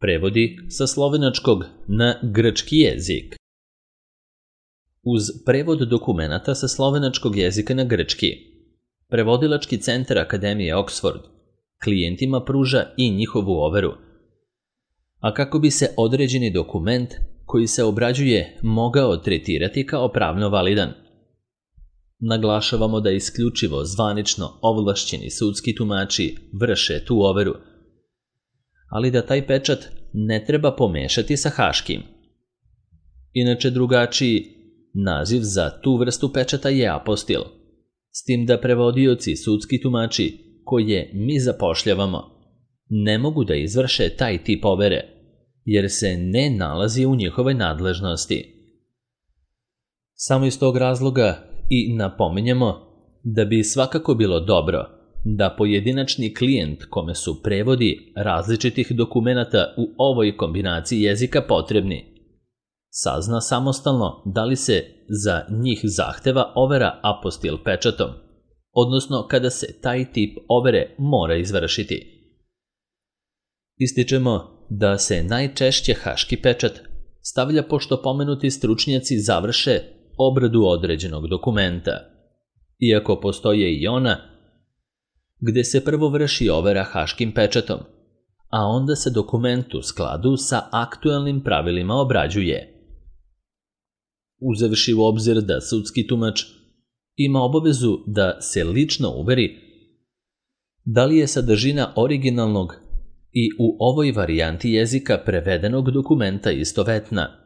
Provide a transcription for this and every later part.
Prevodi sa slovenačkog na grčki jezik. Uz prevod dokumenata sa slovenačkog jezika na grčki, Prevodilački centar Akademije Oxford klijentima pruža i njihovu overu. A kako bi se određeni dokument koji se obrađuje mogao tretirati kao pravno validan, naglašavamo da isključivo zvanično ovlašćeni sudski tumači vrše tu overu, ali da taj pečat ne treba pomešati sa haškim. Inače, drugačiji naziv za tu vrstu pečata je apostil, s tim da prevodioci sudski tumači koje mi zapošljavamo ne mogu da izvrše taj tip overe, jer se ne nalazi u njihovoj nadležnosti. Samo iz tog razloga i napominjemo da bi svakako bilo dobro da pojedinačni klijent kome su prevodi različitih dokumenata u ovoj kombinaciji jezika potrebni sazna samostalno da li se za njih zahteva overa apostil pečatom, odnosno kada se taj tip overe mora izvršiti. Ističemo da se najčešće haški pečat stavlja pošto pomenuti stručnjaci završe obradu određenog dokumenta, iako postoje i ona gde se prvo vrši overa haškim pečatom, a onda se dokument u skladu sa aktuelnim pravilima obrađuje. Uzevši u obzir da sudski tumač ima obavezu da se lično uveri da li je sadržina originalnog i u ovoj varijanti jezika prevedenog dokumenta istovetna.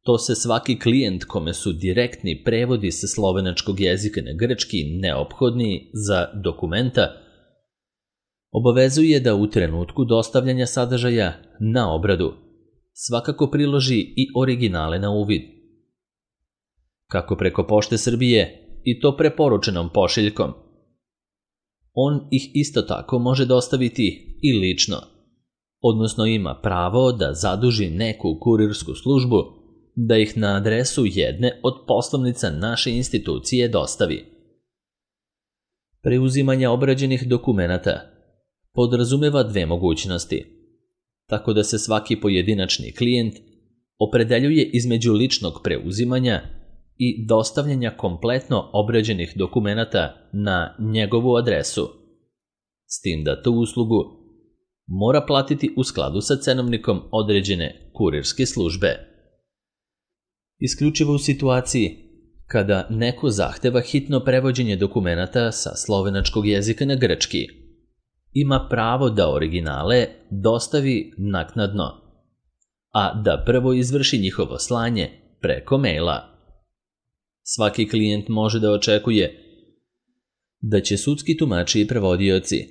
To se svaki klijent kome su direktni prevodi sa slovenačkog jezika na grčki neophodni za dokumenta obavezuje da u trenutku dostavljanja sadržaja na obradu svakako priloži i originale na uvid. Kako preko Pošte Srbije i to preporučenom pošiljkom, on ih isto tako može dostaviti i lično, odnosno ima pravo da zaduži neku kurirsku službu da ih na adresu jedne od poslovnica naše institucije dostavi. Preuzimanje obrađenih dokumenata podrazumeva dve mogućnosti, tako da se svaki pojedinačni klijent opredeljuje između ličnog preuzimanja i dostavljanja kompletno obrađenih dokumenata na njegovu adresu, s tim da tu uslugu mora platiti u skladu sa cenovnikom određene kurirske službe. Isključivo u situaciji kada neko zahteva hitno prevođenje dokumenata sa slovenačkog jezika na grčki, ima pravo da originale dostavi naknadno, a da prvo izvrši njihovo slanje preko maila. Svaki klijent može da očekuje da će sudski tumači i prevodioci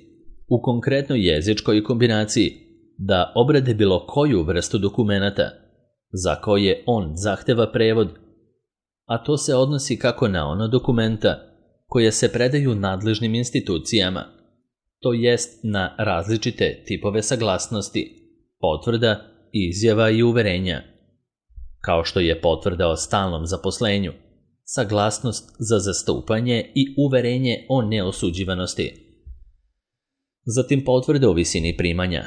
u konkretnoj jezičkoj kombinaciji da obrade bilo koju vrstu dokumenata za koje on zahteva prevod, a to se odnosi kako na ono dokumenta koje se predaju nadležnim institucijama, to jest na različite tipove saglasnosti, potvrda, izjava i uverenja, kao što je potvrda o stalnom zaposlenju, saglasnost za zastupanje i uverenje o neosuđivanosti. Zatim potvrda o visini primanja,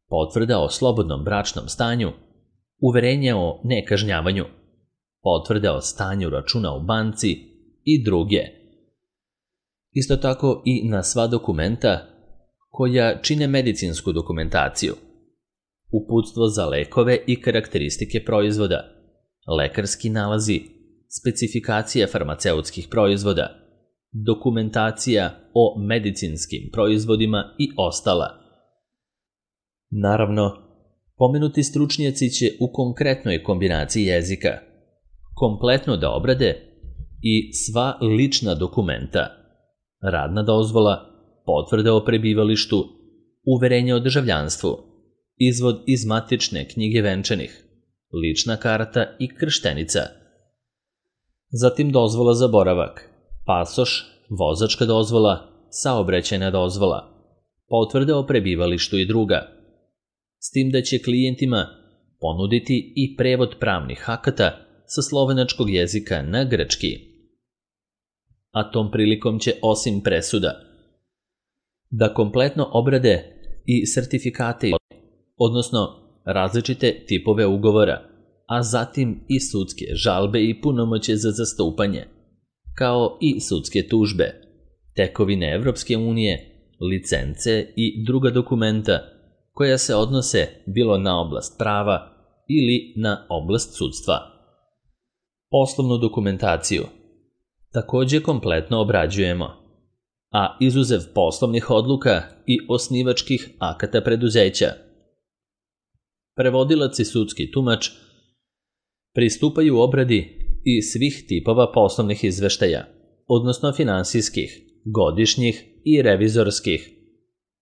potvrda o slobodnom bračnom stanju, uverenje o nekažnjavanju, potvrda o stanju računa u banci i druge. Isto tako i na sva dokumenta koja čine medicinsku dokumentaciju, uputstvo za lekove i karakteristike proizvoda, lekarski nalazi, specifikacija farmaceutskih proizvoda, dokumentacija o medicinskim proizvodima i ostala. Naravno, pomenuti stručnjaci će u konkretnoj kombinaciji jezika kompletno da obrade i sva lična dokumenta, radna dozvola, potvrda o prebivalištu, uverenje o državljanstvu, izvod iz matične knjige venčanih, lična karta i krštenica. Zatim dozvola za boravak, pasoš, vozačka dozvola, saobraćajna dozvola, potvrda o prebivalištu i druga, s tim da će klijentima ponuditi i prevod pravnih akata sa slovenačkog jezika na grčki. A tom prilikom će osim presuda da kompletno obrade i sertifikate, odnosno različite tipove ugovora, a zatim i sudske žalbe i punomoćje za zastupanje, kao i sudske tužbe, tekovine Evropske unije, licence i druga dokumenta koja se odnose bilo na oblast prava ili na oblast sudstva. Poslovnu dokumentaciju takođe kompletno obrađujemo, a izuzev poslovnih odluka i osnivačkih akata preduzeća. Prevodilac i sudski tumač pristupaju obradi i svih tipova poslovnih izveštaja, odnosno finansijskih, godišnjih i revizorskih,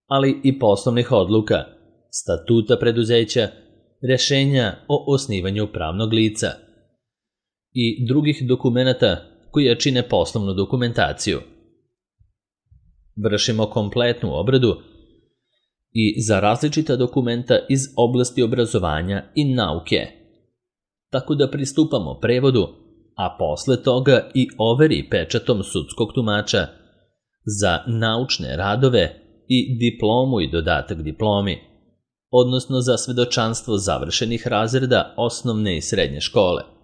ali i poslovnih odluka, statuta preduzeća, rešenja o osnivanju pravnog lica i drugih dokumenata koji čine poslovnu dokumentaciju. Vršimo kompletnu obradu i za različita dokumenta iz oblasti obrazovanja i nauke, tako da pristupamo prevodu, a posle toga i overi pečatom sudskog tumača za naučne radove i diplomu i dodatak diplomi, odnosno za svedočanstvo završenih razreda osnovne i srednje škole.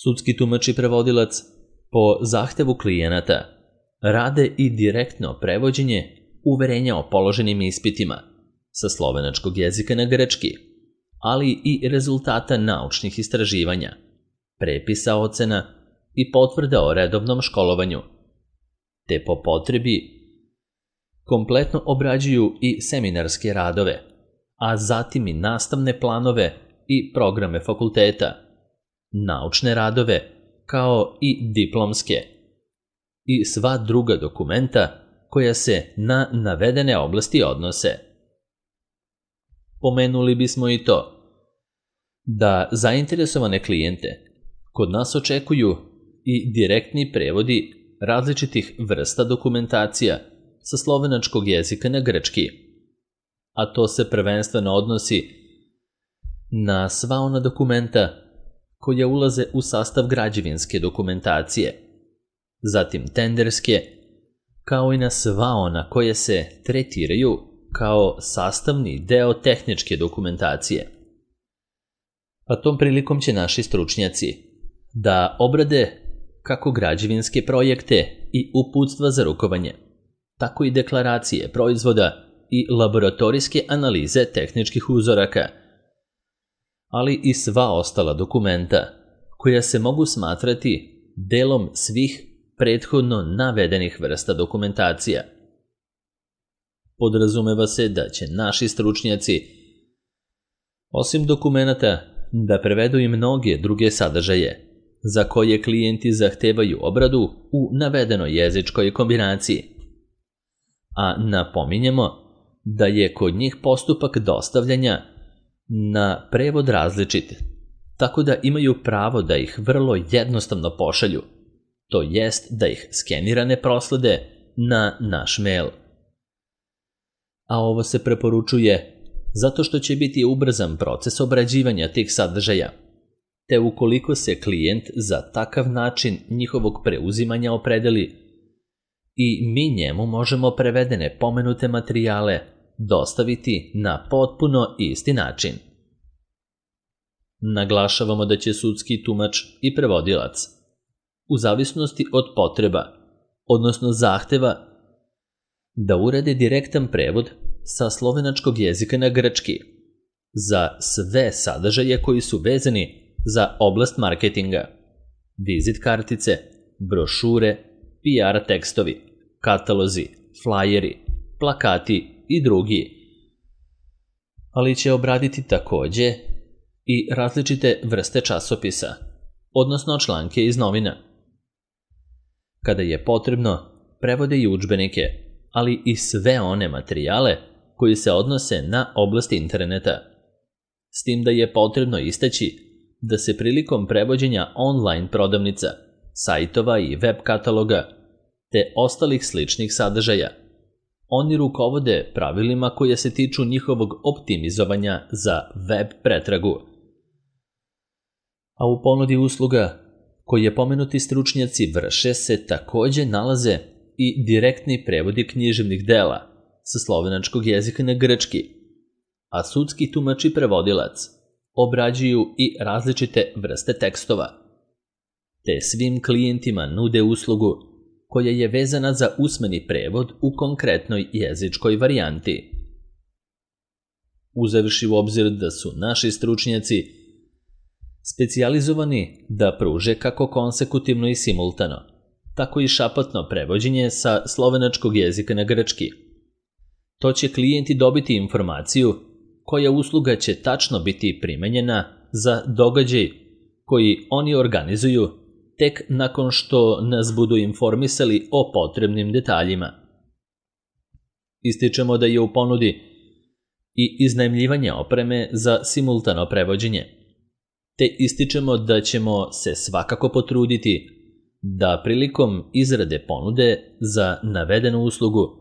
Sudski tumač i prevodilac po zahtevu klijenata rade i direktno prevođenje uverenja o položenim ispitima sa slovenačkog jezika na grčki, ali i rezultata naučnih istraživanja, prepisa ocena i potvrda o redovnom školovanju, te po potrebi kompletno obrađuju i seminarske radove, a zatim i nastavne planove i programe fakulteta, naučne radove, kao i diplomske, i sva druga dokumenta koja se na navedene oblasti odnose. Pomenuli bismo i to da zainteresovane klijente kod nas očekuju i direktni prevodi različitih vrsta dokumentacija sa slovenačkog jezika na grčki, a to se prvenstveno odnosi na sva ona dokumenta koja ulaze u sastav građevinske dokumentacije, zatim tenderske, kao i na sva ona koje se tretiraju kao sastavni deo tehničke dokumentacije. A tom prilikom će naši stručnjaci da obrade kako građevinske projekte i uputstva za rukovanje, tako i deklaracije proizvoda i laboratorijske analize tehničkih uzoraka, ali i sva ostala dokumenta koja se mogu smatrati delom svih prethodno navedenih vrsta dokumentacija. Podrazumeva se da će naši stručnjaci, osim dokumenata, da prevedu i mnoge druge sadržaje za koje klijenti zahtevaju obradu u navedenoj jezičkoj kombinaciji. A napominjemo da je kod njih postupak dostavljanja na prevod različit, tako da imaju pravo da ih vrlo jednostavno pošalju, to jest da ih skenirane proslede na naš mail. A ovo se preporučuje zato što će biti ubrzan proces obrađivanja tih sadržaja, te ukoliko se klijent za takav način njihovog preuzimanja opredeli, i mi njemu možemo prevedene pomenute materijale dostaviti na potpuno isti način. Naglašavamo da će sudski tumač i prevodilac, u zavisnosti od potreba, odnosno zahteva, da urade direktan prevod sa slovenačkog jezika na grčki za sve sadržaje koji su vezani za oblast marketinga, vizit kartice, brošure, PR tekstovi, katalozi, flajeri, plakati i drugi. Ali će obraditi takođe i različite vrste časopisa, odnosno članke iz novina. Kada je potrebno, prevode i udžbenike, ali i sve one materijale koji se odnose na oblast interneta. S tim da je potrebno istaći da se prilikom prevođenja online prodavnica, sajtova i web kataloga, te ostalih sličnih sadržaja, oni rukovode pravilima koje se tiču njihovog optimizovanja za web pretragu. A u ponudi usluga koje pomenuti stručnjaci vrše se takođe nalaze i direktni prevodi književnih dela sa slovenačkog jezika na grčki, a sudski tumač i prevodilac obrađuju i različite vrste tekstova, te svim klijentima nude uslugu koja je vezana za usmeni prevod u konkretnoj jezičkoj varijanti. Uzevši u obzir da su naši stručnjaci specijalizovani da pruže kako konsekutivno i simultano, tako i šapatno prevođenje sa slovenačkog jezika na grčki. To će klijenti dobiti informaciju koja usluga će tačno biti primenjena za događaj koji oni organizuju tek nakon što nas budu informisali o potrebnim detaljima. Ističemo da je u ponudi i iznajmljivanje opreme za simultano prevođenje, te ističemo da ćemo se svakako potruditi da prilikom izrade ponude za navedenu uslugu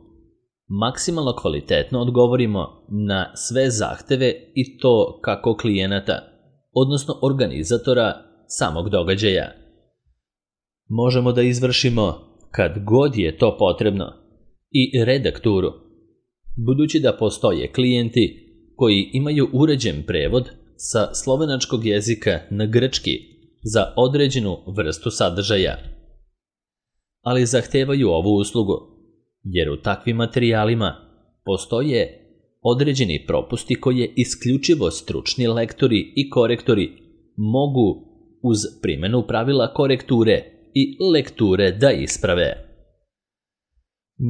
maksimalno kvalitetno odgovorimo na sve zahteve i to kako klijenata, odnosno organizatora samog događaja. Možemo da izvršimo, kad god je to potrebno, i redakturu, budući da postoje klijenti koji imaju uređen prevod sa slovenačkog jezika na grčki za određenu vrstu sadržaja, ali zahtevaju ovu uslugu, jer u takvim materijalima postoje određeni propusti koje isključivo stručni lektori i korektori mogu uz primjenu pravila korekture i lekture da isprave.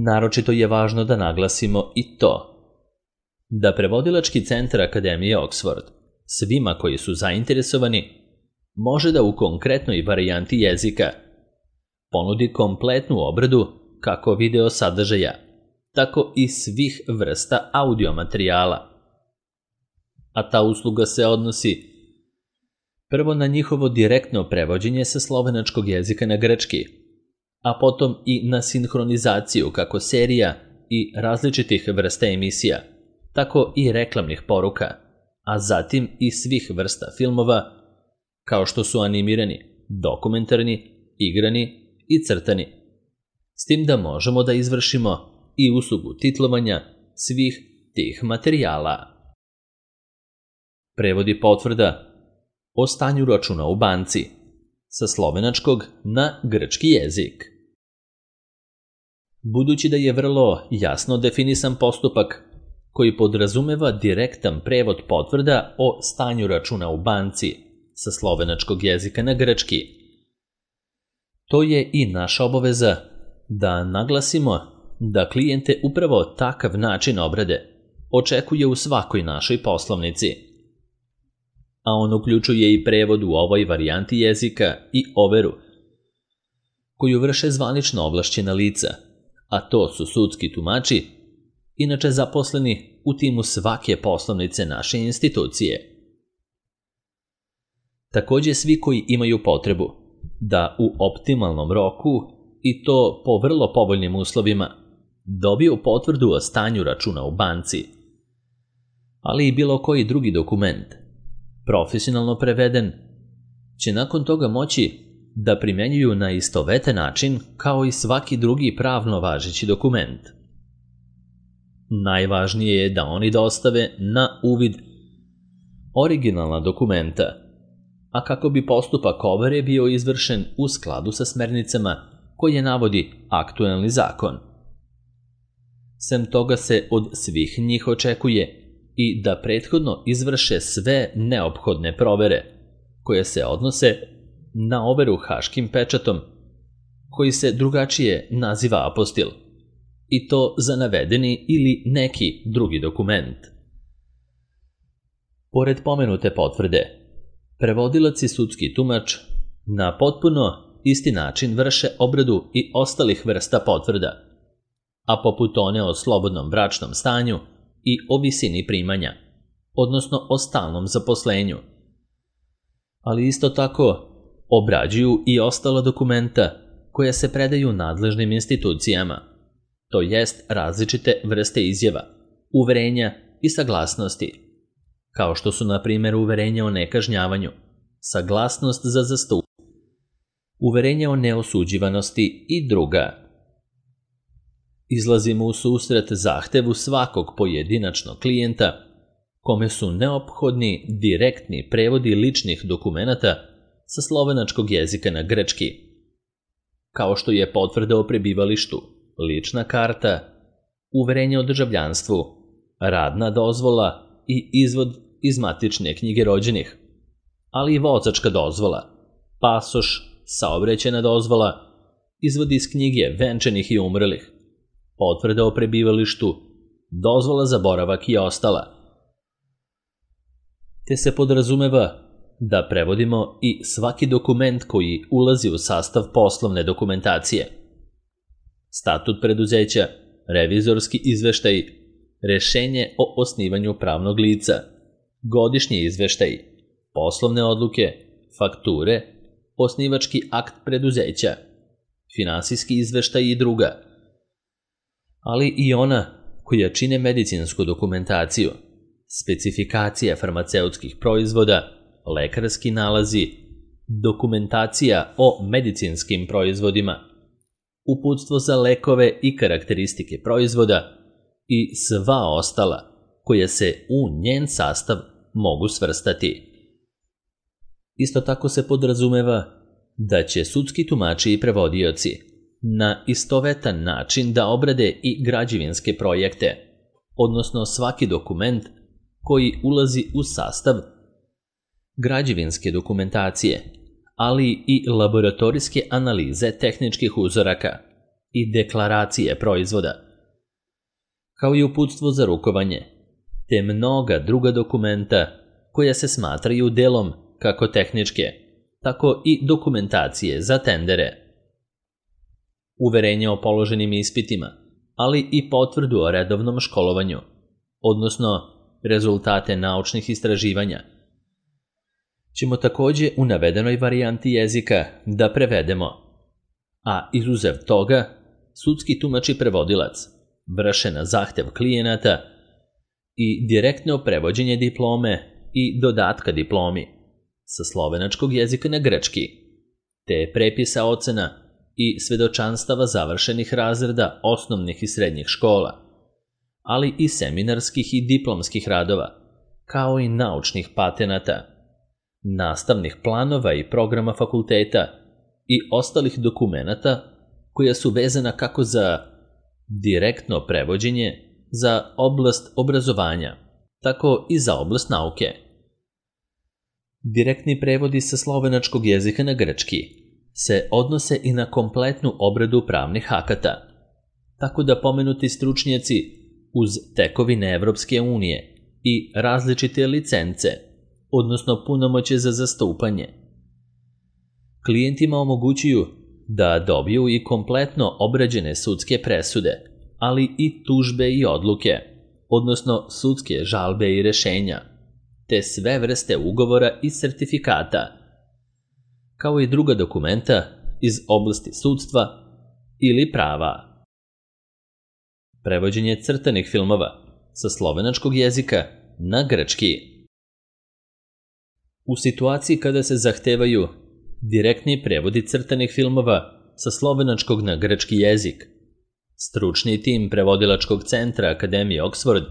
Naročito je važno da naglasimo i to da Prevodilački centar Akademije Oxford svima koji su zainteresovani može da u konkretnoj varijanti jezika ponudi kompletnu obradu kako video sadržaja, tako i svih vrsta audio materijala. A ta usluga se odnosi prvo na njihovo direktno prevođenje sa slovenačkog jezika na grčki, a potom i na sinhronizaciju kako serija i različitih vrsta emisija, tako i reklamnih poruka, a zatim i svih vrsta filmova, kao što su animirani, dokumentarni, igrani i crtani. S tim da možemo da izvršimo i uslugu titlovanja svih tih materijala. Prevodi potvrda o stanju računa u banci sa slovenačkog na grčki jezik. Budući da je vrlo jasno definisan postupak koji podrazumeva direktan prevod potvrda o stanju računa u banci sa slovenačkog jezika na grčki, to je i naša obaveza da naglasimo da klijente upravo takav način obrade očekuje u svakoj našoj poslovnici, a on uključuje i prevod u ovoj varijanti jezika i overu, koju vrše zvanično ovlašćena lica, a to su sudski tumači, inače zaposleni u timu svake poslovnice naše institucije. Također svi koji imaju potrebu da u optimalnom roku i to po vrlo povoljnim uslovima dobiju potvrdu o stanju računa u banci, ali i bilo koji drugi dokument, profesionalno preveden, će nakon toga moći da primenjuju na istovetan način kao i svaki drugi pravno važeći dokument. Najvažnije je da oni dostave na uvid originalna dokumenta, a kako bi postupak overe bio izvršen u skladu sa smernicama koje navodi aktuelni zakon. Sem toga se od svih njih očekuje i da prethodno izvrše sve neophodne provere, koje se odnose na overu haškim pečatom, koji se drugačije naziva apostil, i to za navedeni ili neki drugi dokument. Pored pomenute potvrde, prevodilac i sudski tumač na potpuno isti način vrše obradu i ostalih vrsta potvrda, a poput one o slobodnom bračnom stanju i o visini primanja, odnosno o stalnom zaposlenju. Ali isto tako obrađuju i ostala dokumenta koja se predaju nadležnim institucijama, to jest različite vrste izjava, uverenja i saglasnosti, kao što su na primjer uverenja o nekažnjavanju, saglasnost za zastupanje, uverenja o neosuđivanosti i druga. Izlazimo u susret zahtevu svakog pojedinačnog klijenta kome su neophodni direktni prevodi ličnih dokumenata sa slovenačkog jezika na grčki, kao što je potvrda o prebivalištu, lična karta, uverenje o državljanstvu, radna dozvola i izvod iz matične knjige rođenih, ali i vozačka dozvola, pasoš, saobraćajna dozvola, izvod iz knjige venčanih i umrlih, potvrda o prebivalištu, dozvola za boravak i ostala. Te se podrazumeva da prevodimo i svaki dokument koji ulazi u sastav poslovne dokumentacije. Statut preduzeća, revizorski izveštaj, rešenje o osnivanju pravnog lica, godišnji izveštaj, poslovne odluke, fakture, osnivački akt preduzeća, finansijski izveštaj i druga, ali i ona koja čine medicinsku dokumentaciju, specifikacija farmaceutskih proizvoda, lekarski nalazi, dokumentacija o medicinskim proizvodima, uputstvo za lekove i karakteristike proizvoda i sva ostala koja se u njen sastav mogu svrstati. Isto tako se podrazumeva da će sudski tumači i prevodioci na istovetan način da obrade i građevinske projekte, odnosno svaki dokument koji ulazi u sastav građevinske dokumentacije, ali i laboratorijske analize tehničkih uzoraka i deklaracije proizvoda, kao i uputstvo za rukovanje, te mnoga druga dokumenta koja se smatraju delom kako tehničke, tako i dokumentacije za tendere, uverenje o položenim ispitima, ali i potvrdu o redovnom školovanju, odnosno rezultate naučnih istraživanja, ćemo takođe u navedenoj varijanti jezika da prevedemo, a izuzev toga, sudski tumač i prevodilac vrše na zahtev klijenata i direktno prevođenje diplome i dodatka diplomi sa slovenačkog jezika na grčki, te prepisa ocena i svedočanstava završenih razreda osnovnih i srednjih škola, ali i seminarskih i diplomskih radova, kao i naučnih patenata, nastavnih planova i programa fakulteta i ostalih dokumenata koja su vezana kako za direktno prevođenje za oblast obrazovanja, tako i za oblast nauke. Direktni prevodi sa slovenačkog jezika na grčki se odnose i na kompletnu obradu pravnih akata, tako da pomenuti stručnjaci uz tekovine Evropske unije i različite licence, odnosno punomoćje za zastupanje, klijentima omogućuju da dobiju i kompletno obrađene sudske presude, ali i tužbe i odluke, odnosno sudske žalbe i rešenja, te sve vrste ugovora i sertifikata, kao i druga dokumenta iz oblasti sudstva ili prava. Prevođenje crtanih filmova sa slovenačkog jezika na grčki. U situaciji kada se zahtevaju direktni prevodi crtanih filmova sa slovenačkog na grčki jezik, stručni tim prevodilačkog centra Akademije Oxford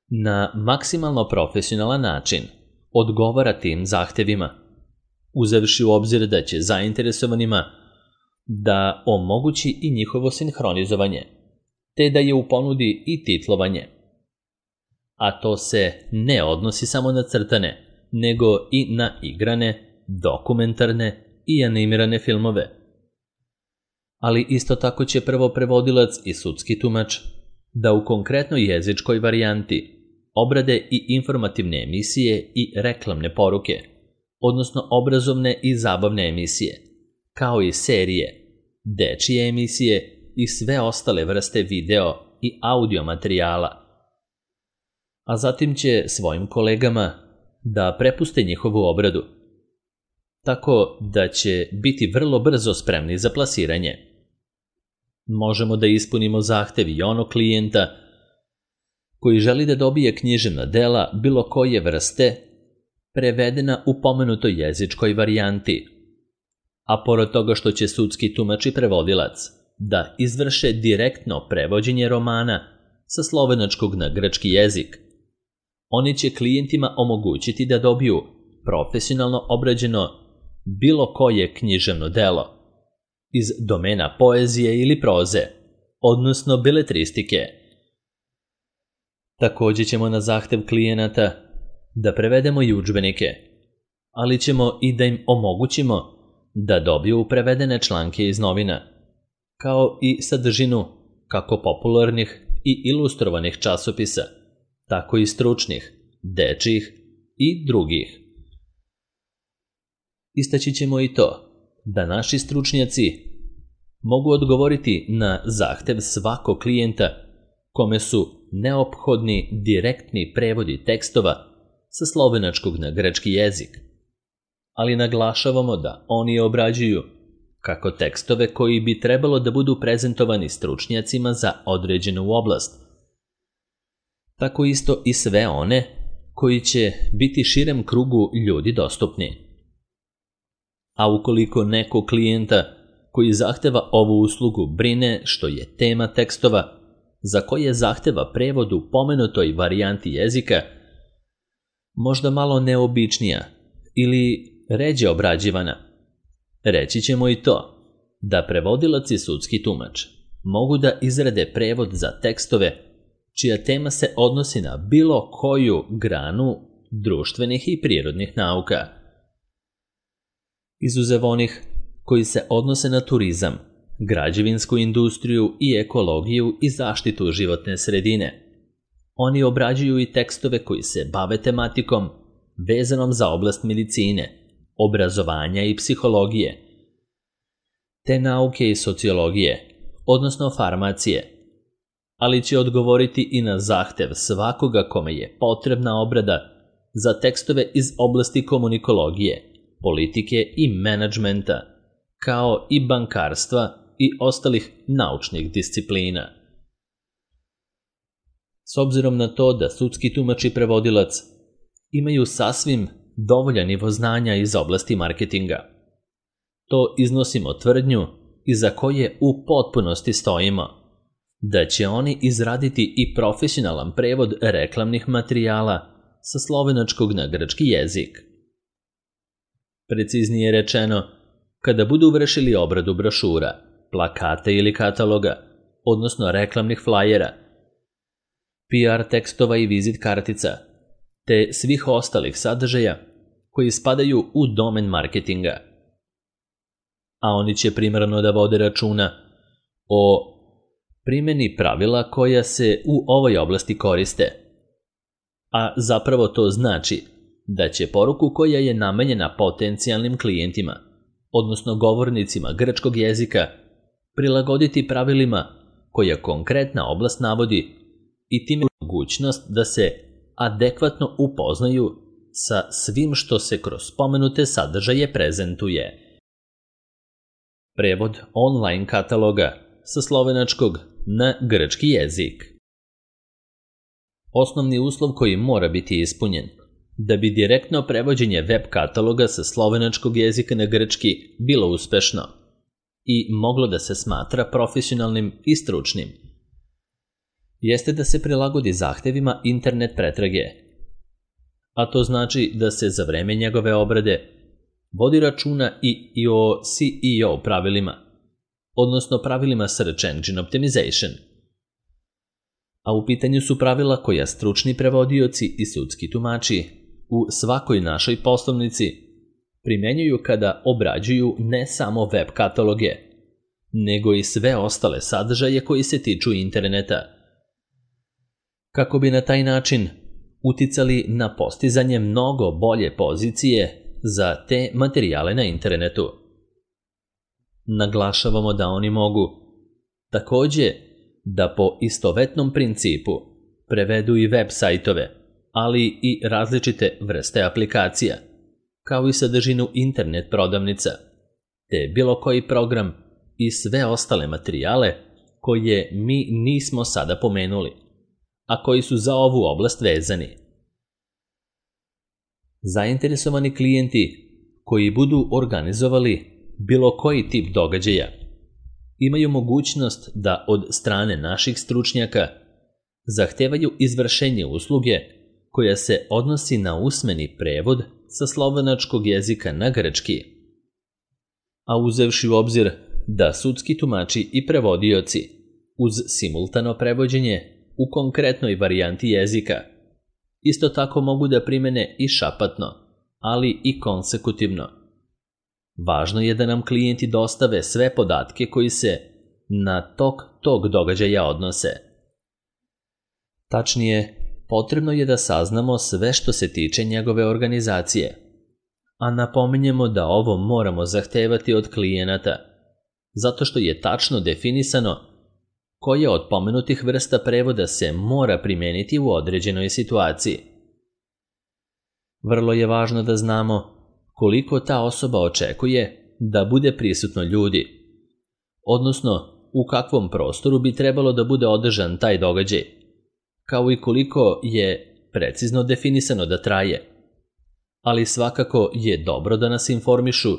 na maksimalno profesionalan način odgovara tim zahtevima, uzevši u obzir da će zainteresovanima da omogući i njihovo sinhronizovanje, te da je u ponudi i titlovanje. A to se ne odnosi samo na crtane, nego i na igrane, dokumentarne i animirane filmove. Ali isto tako će prvo prevodilac i sudski tumač da u konkretnoj jezičkoj varijanti obrade i informativne emisije i reklamne poruke, odnosno obrazovne i zabavne emisije, kao i serije, dečije emisije i sve ostale vrste video i audio materijala. A zatim će svojim kolegama da prepuste njihovu obradu, tako da će biti vrlo brzo spremni za plasiranje. Možemo da ispunimo zahtev i onog klijenta koji želi da dobije književna dela bilo koje vrste prevedena u pomenutoj jezičkoj varijanti, a pored toga što će sudski tumač i prevodilac da izvrše direktno prevođenje romana sa slovenačkog na grčki jezik, Oni će klijentima omogućiti da dobiju profesionalno obrađeno bilo koje književno delo iz domena poezije ili proze, odnosno beletristike. Također ćemo na zahtev klijenata da prevedemo i udžbenike, ali ćemo i da im omogućimo da dobiju prevedene članke iz novina, kao i sadržinu kako popularnih i ilustrovanih časopisa, tako i stručnih, dečjih i drugih. Istaći ćemo i to da naši stručnjaci mogu odgovoriti na zahtev svakog klijenta kome su neophodni direktni prevodi tekstova sa slovenačkog na grčki jezik, ali naglašavamo da oni obrađuju kako tekstove koji bi trebalo da budu prezentovani stručnjacima za određenu oblast, tako isto i sve one koji će biti širem krugu ljudi dostupni. A ukoliko neko klijenta koji zahteva ovu uslugu brine što je tema tekstova za koje zahteva prevod u pomenutoj varijanti jezika možda malo neobičnija ili ređe obrađivana, reći ćemo i to da prevodilac i sudski tumač mogu da izrade prevod za tekstove čija tema se odnosi na bilo koju granu društvenih i prirodnih nauka, izuzev onih koji se odnose na turizam, građevinsku industriju i ekologiju i zaštitu životne sredine. Oni obrađuju i tekstove koji se bave tematikom vezanom za oblast medicine, obrazovanja i psihologije, te nauke i sociologije, odnosno farmacije, ali će odgovoriti i na zahtev svakoga kome je potrebna obrada za tekstove iz oblasti komunikologije, politike i menadžmenta, kao i bankarstva i ostalih naučnih disciplina. S obzirom na to da sudski tumač i prevodilac imaju sasvim dovoljan nivo znanja iz oblasti marketinga, to iznosimo tvrdnju iza koje u potpunosti stojimo, da će oni izraditi i profesionalan prevod reklamnih materijala sa slovenačkog na grčki jezik. Preciznije rečeno, kada budu vršili obradu brošura, plakata ili kataloga, odnosno reklamnih flajera, PR tekstova i vizit kartica, te svih ostalih sadržaja koji spadaju u domen marketinga. A oni će primarno da vode računa o primjeni pravila koja se u ovoj oblasti koriste, a zapravo to znači da će poruku koja je namenjena potencijalnim klijentima, odnosno govornicima grčkog jezika, prilagoditi pravilima koja konkretna oblast navodi i time mogućnost da se adekvatno upoznaju sa svim što se kroz spomenute sadržaje prezentuje. Prevod online kataloga sa slovenačkog na grčki jezik. Osnovni uslov koji mora biti ispunjen da bi direktno prevođenje web kataloga sa slovenačkog jezika na grčki bilo uspešno i moglo da se smatra profesionalnim i stručnim, jeste da se prilagodi zahtevima internet pretrage, a to znači da se za vreme njegove obrade vodi računa i o SEO pravilima, odnosno pravilima Search Engine Optimization. A u pitanju su pravila koja stručni prevodioci i sudski tumači u svakoj našoj poslovnici primjenjuju kada obrađuju ne samo web kataloge, nego i sve ostale sadržaje koji se tiču interneta, kako bi na taj način uticali na postizanje mnogo bolje pozicije za te materijale na internetu. Naglašavamo da oni mogu također da po istovetnom principu prevedu i web sajtove, ali i različite vrste aplikacija, kao i sadržinu internet prodavnica, te bilo koji program i sve ostale materijale koje mi nismo sada pomenuli, a koji su za ovu oblast vezani. Zainteresovani klijenti koji budu organizovali bilo koji tip događaja imaju mogućnost da od strane naših stručnjaka zahtevaju izvršenje usluge koja se odnosi na usmeni prevod sa slovenačkog jezika na grčki. A uzevši u obzir da sudski tumači i prevodioci uz simultano prevođenje u konkretnoj varijanti jezika isto tako mogu da primene i šapatno, ali i konsekutivno. Važno je da nam klijenti dostave sve podatke koji se na tok tog događaja odnose. Tačnije, potrebno je da saznamo sve što se tiče njegove organizacije, a napominjemo da ovo moramo zahtevati od klijenata, zato što je tačno definisano koja od pomenutih vrsta prevoda se mora primeniti u određenoj situaciji. Vrlo je važno da znamo koliko ta osoba očekuje da bude prisutno ljudi, odnosno u kakvom prostoru bi trebalo da bude održan taj događaj, kao i koliko je precizno definisano da traje. Ali svakako je dobro da nas informišu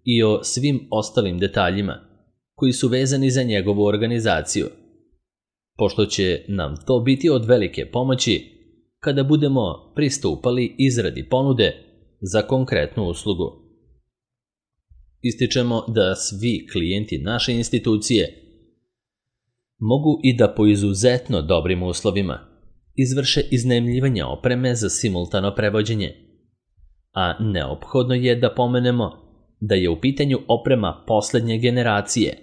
i o svim ostalim detaljima koji su vezani za njegovu organizaciju, pošto će nam to biti od velike pomoći kada budemo pristupali izradi ponude za konkretnu uslugu. Ističemo da svi klijenti naše institucije mogu i da po izuzetno dobrim uslovima izvrše iznajmljivanje opreme za simultano prevođenje, a neophodno je da pomenemo da je u pitanju oprema poslednje generacije,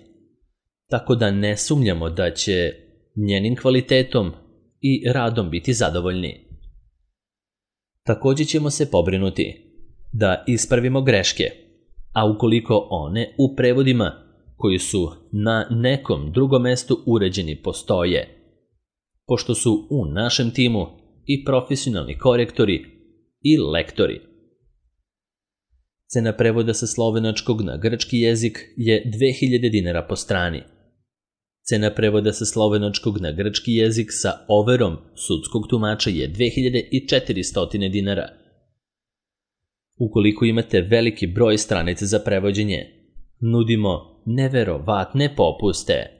tako da ne sumnjamo da će njenim kvalitetom i radom biti zadovoljni. Također ćemo se pobrinuti da ispravimo greške, a ukoliko one u prevodima koji su na nekom drugom mestu uređeni postoje, pošto su u našem timu i profesionalni korektori i lektori. Cena prevoda sa slovenačkog na grčki jezik je 2000 dinara po strani. Cena prevoda sa slovenačkog na grčki jezik sa overom sudskog tumača je 2400 dinara. Ukoliko imate veliki broj stranica za prevođenje, nudimo neverovatne popuste.